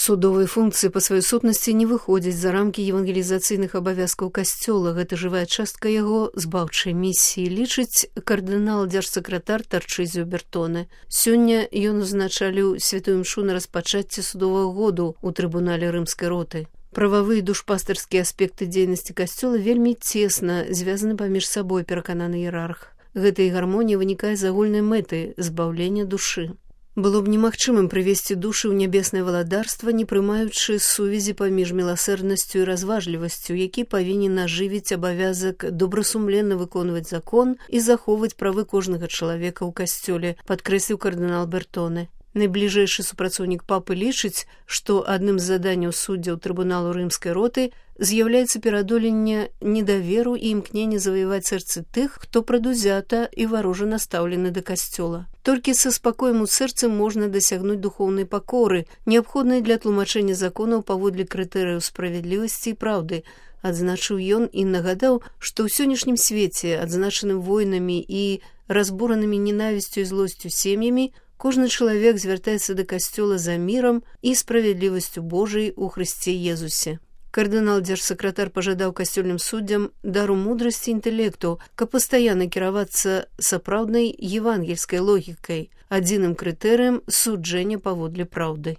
Судовыя функцыі па сваёй сутнасці не выходзяць за рамкі евангелізацыйных абавязкаў касцёла. Гэта жывая частка яго збаўчай місіі, лічыць кардынал-дзяржсакратар Тарчызіо Бертоне. Сёння ён узначаліў святую імшу на распачацці судовага году ў трыбунале рымскай роты. Прававыя і душпастарскія аспекты дзейнасці касцёла вельмі цесна звязаны паміж сабой, перакананы іерарх. Гэтая гармонія вынікае з агульнай мэты збаўлення душы. Было б немагчымым прывесці душы ў нябеснае валадарства, не прымаючы сувязі паміж міласэрнасцю і разважлівасцю, які павінен ажывіць абавязак добрасумленна выконваць закон і захоўваць правы кожнага чалавека ў касцёле, падкрэсліў кардынал Бертоне. Найбліжэйшы супрацоўнік папы лічыць, што адным з заданняў суддзяў трыбуналу рымскай роты з'яўляецца пераадоленне недаверу і імкнення заваяваць сэрцы тых, хто прадузята і варожа настаўлены да касцёла. Толькі са спакоем у сэрцы можна дасягнуць духоўнай пакоры, неабходнай для тлумачэння законаў паводле крытэрыяў справядлівасці і праўды, адзначыў ён і нагадаў, што ў сённяшнім свеце, адзначаным войнамі і разбуранымі ненавісцю і злосцю сем'ямі, кожны чалавек звяртаецца да касцёла за мірам і справядлівасцю Божай у Хрысце Езусе. Кардынал-дзяржсакратар пажадаў касцёльным суддзям дару мудрасці і інтэлекту, каб пастаянна кіравацца сапраўднай евангельскай логікай, адзіным крытэрыем суджэння паводле праўды.